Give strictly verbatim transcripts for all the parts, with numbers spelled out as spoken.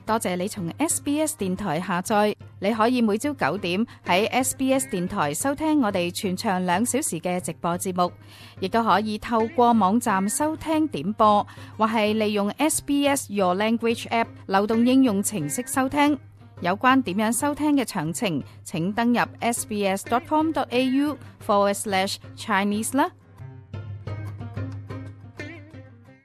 多謝你從 S B S 電台下載，你可以每朝九點喺 S B S 電台收聽我哋全長兩小時嘅直播節目，亦都可以透過網站收聽點播，或係利用 S B S Your Language App 流動應用程式收聽。有關點樣收聽嘅詳情，請登入 sbs.com.au forward slash Chinese 啦。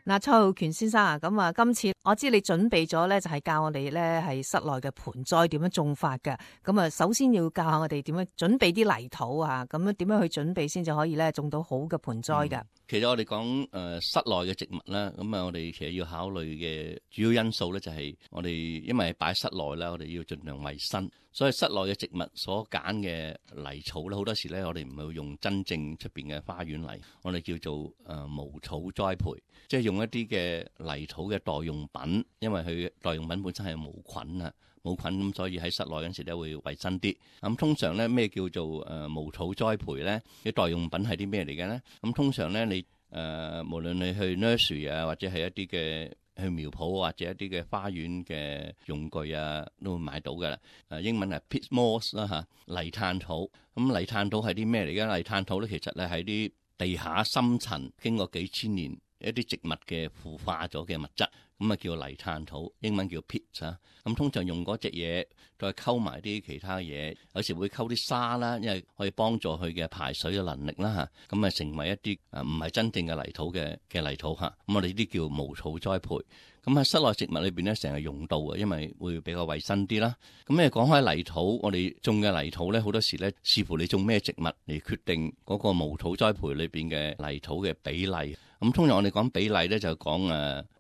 嗱，蔡浩權先生啊，咁啊，今次我知你準備咗咧，就係教我哋咧係室內嘅盆栽點樣種法嘅。咁啊，首先要教下我哋點樣準備啲泥土啊，咁樣點樣去準備先至可以咧種到好嘅盆栽㗎。嗯其實我哋講誒室內嘅植物啦，咁啊我哋其實要考慮嘅主要因素咧就係我哋因為擺室內啦，我哋要盡量衞生，所以室內嘅植物所揀嘅泥草咧，好多時咧我哋唔係會用真正出邊嘅花園泥，我哋叫做誒無草栽培，即係用一啲嘅泥土嘅代用品，因為佢代用品本身係無菌啊。冇菌咁，所以喺室內嗰陣時咧會衞生啲。咁通常咧咩叫做誒無草栽培咧？啲代用品係啲咩嚟嘅咧？咁通常咧你誒、呃、無論你去 nursery 啊，或者係一啲嘅去苗圃或者一啲嘅花園嘅用具啊，都會買到㗎啦。誒英文係 peat moss 啦嚇，泥炭土。咁泥炭土係啲咩嚟嘅？泥炭土咧其實咧喺啲地下深層經過幾千年一啲植物嘅腐化咗嘅物質。咁啊叫泥炭土，英文叫 peat 啊。咁通常用嗰隻嘢再溝埋啲其他嘢，有時會溝啲沙啦，因為可以幫助佢嘅排水嘅能力啦嚇。咁啊成為一啲啊唔係真正嘅泥土嘅嘅泥土嚇。咁我哋呢啲叫無草栽培。咁喺室內植物裏邊咧，成日用到嘅，因為會比較衞生啲啦。咁誒講開泥土，我哋種嘅泥土咧，好多時咧視乎你種咩植物嚟決定嗰個無草栽培裏邊嘅泥土嘅比例。咁通常我哋講比例咧，就講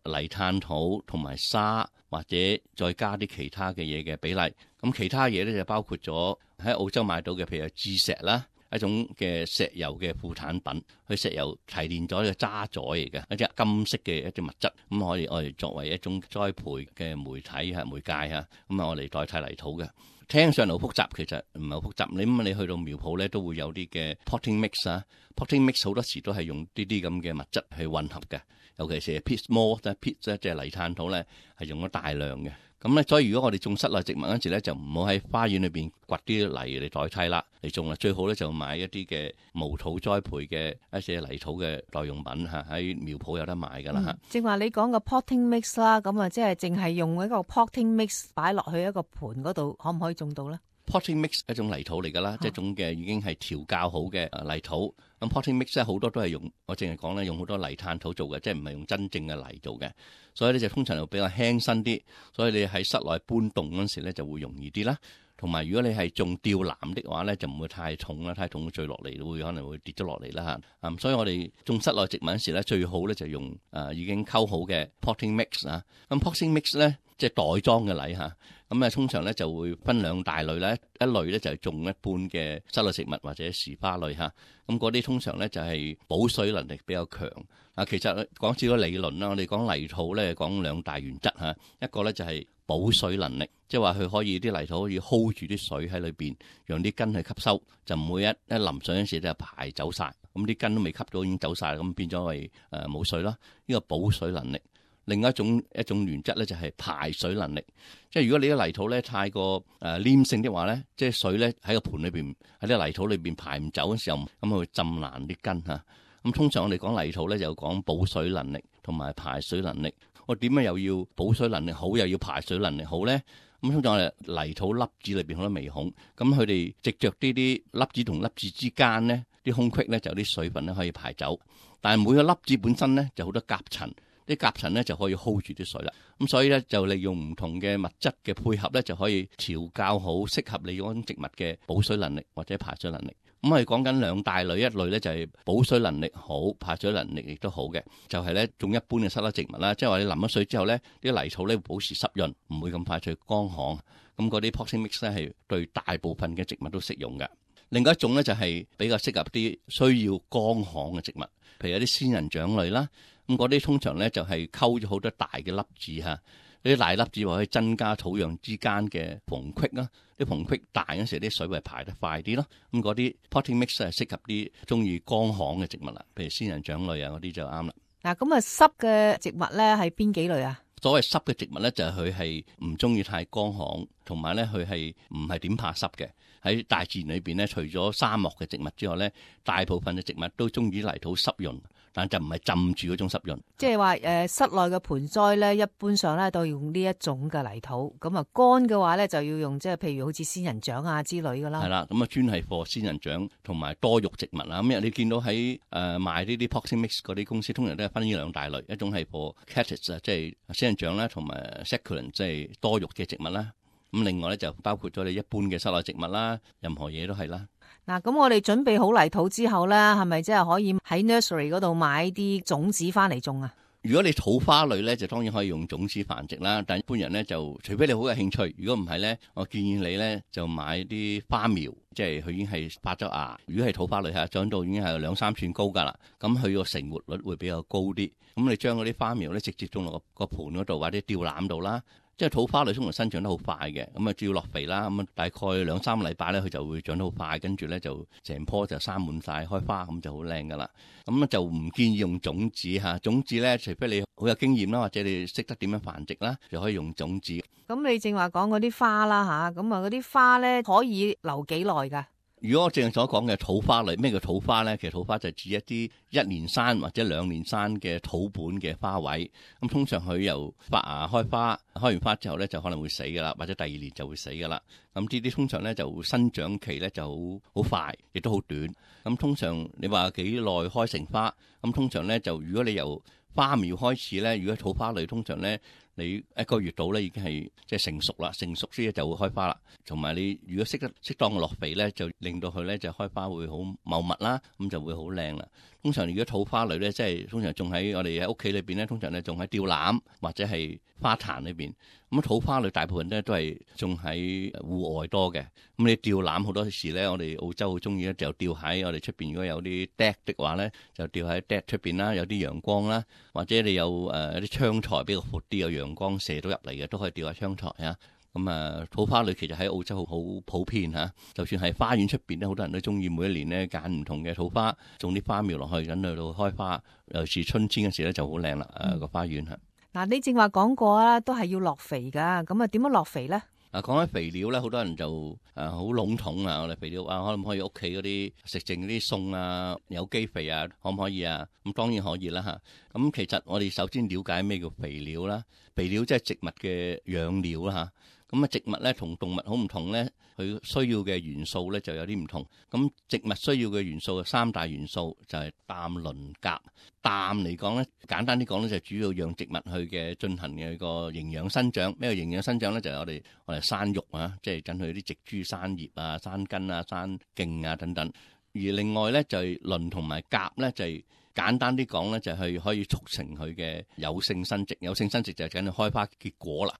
誒泥炭土同埋沙，或者再加啲其他嘅嘢嘅比例。咁其他嘢咧就包括咗喺澳洲買到嘅，譬如係鑄石啦。一種嘅石油嘅副產品，佢石油提煉咗嘅渣滓嚟嘅，一隻金色嘅一隻物質，咁可以我哋作為一種栽培嘅媒體嚇媒介嚇，咁啊我哋代替泥土嘅。聽上嚟好複雜，其實唔係好複雜。你咁你去到苗圃咧，都會有啲嘅 potting mix 啊 ，potting mix 好多時都係用呢啲咁嘅物質去混合嘅，尤其是 peat moss 咧 ，peat 咧即係泥炭土咧，係用咗大量嘅。咁咧，所以如果我哋種室內植物嗰陣時咧，就唔好喺花園裏邊掘啲泥嚟代替啦，嚟種啦。最好咧就買一啲嘅無草栽培嘅一些泥土嘅代用品嚇，喺苗圃有得買㗎啦嚇。正話你講個 potting mix 啦，咁啊即係淨係用一個 potting mix 擺落去一個盤嗰度，可唔可以種到咧？potting mix 一種泥土嚟㗎啦，即係一種嘅已經係調教好嘅泥土。咁 potting mix 咧好多都係用，我淨係講咧用好多泥炭土做嘅，即係唔係用真正嘅泥做嘅。所以咧就通常就比較輕身啲，所以你喺室內搬動嗰陣時咧就會容易啲啦。同埋如果你係種吊籃的話咧，就唔會太重啦，太重墜落嚟會可能會跌咗落嚟啦嚇。咁所以我哋種室內植物嗰陣時咧，最好咧就用誒已經溝好嘅 potting mix 啊。咁 potting mix 咧即係袋裝嘅泥嚇。咁啊通常咧就會分兩大類咧，一類咧就係種一般嘅室內植物或者時花類嚇。咁嗰啲通常咧就係保水能力比較強。啊，其實講少咗理論啦，我哋講泥土咧講兩大原則嚇，一個咧就係保水能力，即係話佢可以啲泥土可以 hold 住啲水喺裏邊，讓啲根去吸收，就唔會一一淋水嗰陣時就排走晒，咁啲根都未吸到已經走晒，咁變咗係誒冇水啦。呢個保水能力。另一種一種原則咧就係排水能力，即係如果你啲泥土咧太過誒黏性的話咧，即係水咧喺個盆裏邊喺啲泥土裏邊排唔走嘅時候，咁佢會浸爛啲根嚇。咁通常我哋講泥土咧就講保水能力同埋排水能力。我點解又要保水能力好，又要排水能力好咧？咁通常我哋泥土粒子裏邊好多微孔，咁佢哋藉着呢啲粒子同粒子之間咧啲空隙咧就有啲水分咧可以排走，但係每個粒子本身咧就好多夾層。啲夾層咧就可以 hold 住啲水啦，咁所以咧就利用唔同嘅物質嘅配合咧，就可以調校好適合你嗰種植物嘅保水能力或者排水能力。咁我哋講緊兩大類，一類咧就係保水能力好，排水能力亦都好嘅，就係咧種一般嘅室內植物啦，即係話你淋咗水之後咧，啲泥土咧會保持濕潤，唔會咁快脆乾旱。咁嗰啲 potting mix 咧係對大部分嘅植物都適用嘅。另外一種咧就係比較適合啲需要乾旱嘅植物，譬如有啲仙人掌類啦。咁嗰啲通常咧就係溝咗好多大嘅粒子嚇，呢啲大粒子可以增加土壤之間嘅縫隙啦。啲縫隙大嗰時，啲水會排得快啲咯。咁嗰啲 potting mix 係適合啲中意乾旱嘅植物啦，譬如仙人掌類啊嗰啲就啱啦。嗱，咁啊濕嘅植物咧係邊幾類啊？所謂濕嘅植物咧，就係佢係唔中意太乾旱，同埋咧佢係唔係點怕濕嘅。喺大自然裏邊咧，除咗沙漠嘅植物之外咧，大部分嘅植物都中意泥土濕潤，但就唔係浸住嗰種濕潤。即係話誒，室內嘅盆栽咧，一般上咧都要用呢一種嘅泥土。咁啊，乾嘅話咧就要用即係譬如好似仙人掌啊之類噶啦。係啦，咁啊專係貨仙人掌同埋多肉植物啦。咁你見到喺誒、呃、賣呢啲 Poxy Mix 嗰啲公司，通常都係分呢兩大類，一種係貨 Cactus 啊，即係仙人掌啦，同埋 Succulent 即係多肉嘅植物啦。咁另外咧就包括咗你一般嘅室內植物啦，任何嘢都係啦。嗱，咁我哋準備好泥土之後咧，係咪即係可以喺 nursery 嗰度買啲種子翻嚟種啊？如果你土花類咧，就當然可以用種子繁殖啦。但一般人咧就，除非你好有興趣，如果唔係咧，我建議你咧就買啲花苗，即係佢已經係發咗芽。如果係土花類嚇，長到已經係兩三寸高㗎啦，咁佢個成活率會比較高啲。咁你將嗰啲花苗咧直接種落個個盆嗰度或者吊籃度啦。即係土花類通常生長得好快嘅，咁啊只要落肥啦，咁啊大概兩三個禮拜咧，佢就會長得好快，跟住咧就成棵就生滿晒開花，咁就好靚噶啦。咁啊就唔建議用種子嚇，種子咧除非你好有經驗啦，或者你識得點樣繁殖啦，就可以用種子。咁你正話講嗰啲花啦嚇，咁啊嗰啲花咧可以留幾耐㗎？如果我正所講嘅土花類，咩叫土花咧？其實土花就指一啲一年生或者兩年生嘅土本嘅花卉。咁通常佢由發芽開花，開完花之後咧就可能會死噶啦，或者第二年就會死噶啦。咁呢啲通常咧就生長期咧就好好快，亦都好短。咁通常你話幾耐開成花？咁通常咧就如果你由花苗開始咧，如果土花類通常咧，你一個月到咧已經係即係成熟啦，成熟先就會開花啦。同埋你如果識得適當嘅落肥咧，就令到佢咧就開花會好茂密啦，咁就會好靚啦。通常如果土花類咧，即係通常種喺我哋喺屋企裏邊咧，通常咧種喺吊籃或者係花壇裏邊。咁土花類大部分咧都係種喺戶外多嘅。咁你吊籃好多時咧，我哋澳洲好中意咧，就吊喺我哋出邊。如果有啲 deck 的話咧，就吊喺 deck 出邊啦，有啲陽光啦，或者你有誒啲窗台比較闊啲，有陽光射到入嚟嘅，都可以吊喺窗台啊。咁啊，土花類其實喺澳洲好普遍嚇，就算係花園出邊咧，好多人都中意每一年咧揀唔同嘅土花，種啲花苗落去，等佢到開花。尤其是春天嘅時咧就好靚啦，誒個花園嚇。嗱，你正話講過啦，都係要落肥㗎，咁啊點樣落肥咧？啊，講起肥料咧，好多人就誒好籠統啊！我哋肥料啊，可唔可以屋企嗰啲食剩嗰啲餸啊、有機肥啊，可唔可以啊？咁當然可以啦嚇。咁其實我哋首先了解咩叫肥料啦。肥料即係植物嘅養料啦嚇。咁啊，植物咧同動物好唔同咧，佢需要嘅元素咧就有啲唔同。咁植物需要嘅元素有三大元素，就係氮、磷、鉀。氮嚟講咧，簡單啲講咧，就主要讓植物去嘅進行嘅個營養生長。咩叫營養生長咧？就係我哋我哋生育啊，即係等佢啲植株生葉啊、生根啊、生莖啊等等。而另外咧就係磷同埋鉀咧，就係簡單啲講咧，就係可以促成佢嘅有性生殖。有性生殖就係緊開花結果啦。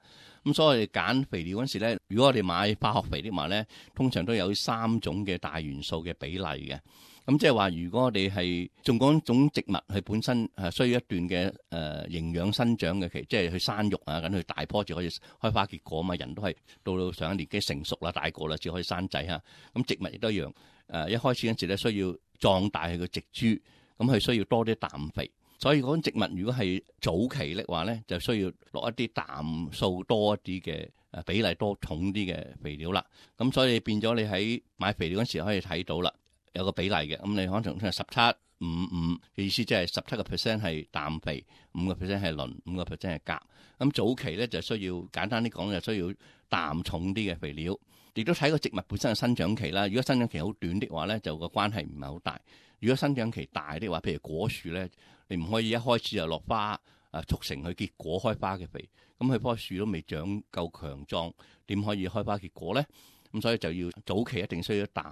咁所以我哋揀肥料嗰時咧，如果我哋買化學肥的話咧，通常都有三種嘅大元素嘅比例嘅。咁即係話，如果我哋係種嗰種植物，佢本身係需要一段嘅誒、呃、營養生長嘅期，即係佢生育啊，咁佢大棵就可以開花結果嘛。人都係到到上一年紀成熟啦、大個啦，至可以生仔嚇。咁植物亦都一樣，誒、呃、一開始嗰時咧需要壯大佢嘅植株，咁佢需要多啲氮肥。所以嗰種植物如果係早期的話咧，就需要落一啲氮素多一啲嘅誒比例多重啲嘅肥料啦。咁所以變咗你喺買肥料嗰時可以睇到啦。有個比例嘅，咁你可能係十七五五嘅意思，即係十七個 percent 係氮肥，五個 percent 係磷，五個 percent 係鉀。咁早期咧就需要簡單啲講，就需要氮重啲嘅肥料。亦都睇個植物本身嘅生長期啦。如果生長期好短的話咧，就個關係唔係好大。如果生長期大的話，譬如果樹咧，你唔可以一開始就落花啊，促成佢結果開花嘅肥。咁佢棵樹都未長夠強壯，點可以開花結果咧？咁所以就要早期一定需要氮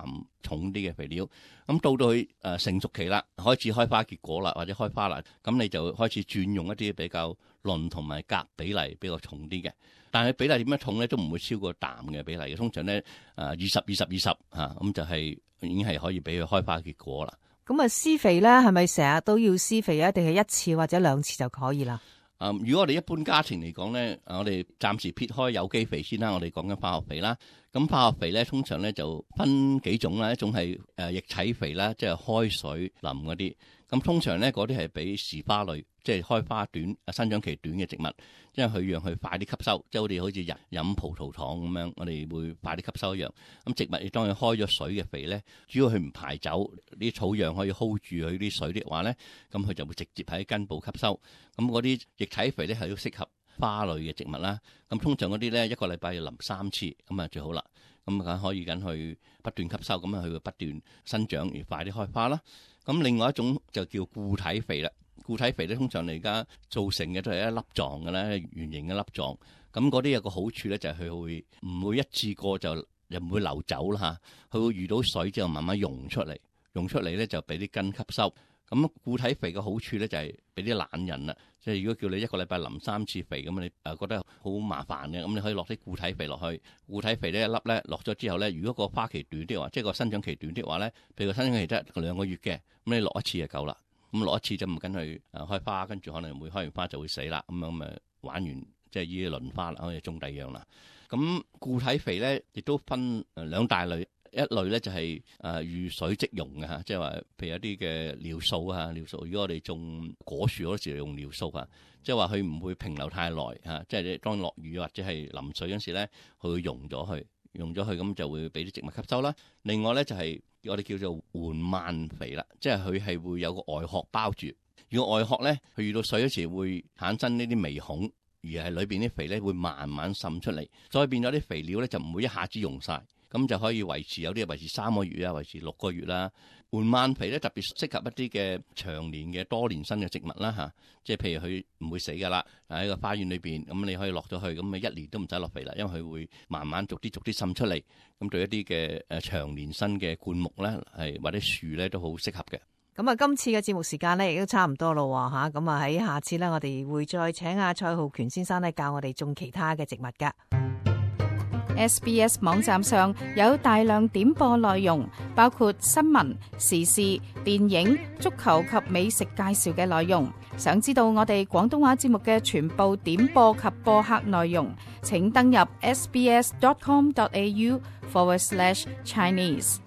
重啲嘅肥料。咁到到佢誒成熟期啦，開始開花結果啦，或者開花啦，咁你就開始轉用一啲比較磷同埋鉀比例比較重啲嘅。但係比例點樣重咧，都唔會超過氮嘅比例嘅。通常咧誒二十二十二十嚇，咁就係已經係可以俾佢開花結果啦。咁啊，施肥咧係咪成日都要施肥啊？定係一次或者兩次就可以啦？啊、嗯，如果我哋一般家庭嚟講咧，我哋暫時撇開有機肥先啦，我哋講緊化學肥啦。咁化學肥咧，通常咧就分幾種啦，一種係誒液體肥啦，即係開水淋嗰啲。咁通常咧嗰啲係俾時花類，即係開花短、生長期短嘅植物，因為佢讓佢快啲吸收，即係我哋好似人飲葡萄糖咁樣，我哋會快啲吸收一樣。咁植物亦當佢開咗水嘅肥咧，主要佢唔排走啲草樣可以 hold 住佢啲水的話咧，咁佢就會直接喺根部吸收。咁嗰啲液體肥咧係要適合花類嘅植物啦。咁通常嗰啲咧一個禮拜要淋三次，咁啊最好啦。咁梗可以緊去不斷吸收，咁啊佢會不斷生長而快啲開花啦。咁另外一種就叫固體肥啦。固體肥咧通常你而家造成嘅都係一粒狀嘅啦，圓形嘅粒狀。咁嗰啲有個好處咧，就係佢會唔會一次過就又唔會流走啦嚇，佢會遇到水之後慢慢溶出嚟，溶出嚟咧就俾啲根吸收。咁固體肥嘅好處咧就係俾啲懶人啦，即係如果叫你一個禮拜淋三次肥咁，你誒覺得好麻煩嘅，咁你可以落啲固體肥落去。固體肥呢一粒咧落咗之後咧，如果個花期短啲話，即係個生長期短啲話咧，譬如個生長期得兩個月嘅，咁你落一次就夠啦。咁落一次就唔跟佢誒開花，跟住可能會開完花就會死啦。咁樣咪玩完即係依啲輪花啦，可以種第二樣啦。咁固體肥咧亦都分誒兩大類。一類咧就係誒遇水即溶嘅嚇，即係話譬如一啲嘅尿素啊，尿素。如果我哋種果樹嗰時用尿素啊，即係話佢唔會平留太耐嚇，即係你當落雨或者係淋水嗰時咧，佢會溶咗去，溶咗去咁就會俾啲植物吸收啦。另外咧就係我哋叫做緩慢肥啦，即係佢係會有個外殼包住。如果外殼咧，佢遇到水嗰時會產生呢啲微孔，而係裏邊啲肥咧會慢慢滲出嚟，所以變咗啲肥料咧就唔會一下子溶晒。咁就可以維持，有啲維持三個月啊，維持六個月啦。緩慢肥咧特別適合一啲嘅長年嘅多年生嘅植物啦嚇，即係譬如佢唔會死噶啦，喺個花園裏邊，咁你可以落咗去，咁咪一年都唔使落肥啦，因為佢會慢慢逐啲逐啲滲出嚟。咁對一啲嘅誒長年生嘅灌木咧，係或者樹咧都好適合嘅。咁啊，今次嘅節目時間咧亦都差唔多咯嚇，咁啊喺下次咧，我哋會再請阿蔡浩權先生咧教我哋種其他嘅植物噶。S B S 網站上有大量點播內容，包括新聞、時事、電影、足球及美食介紹嘅內容。想知道我哋廣東話節目嘅全部點播及播客內容，請登入 sbs dot com dot a u forward slash Chinese。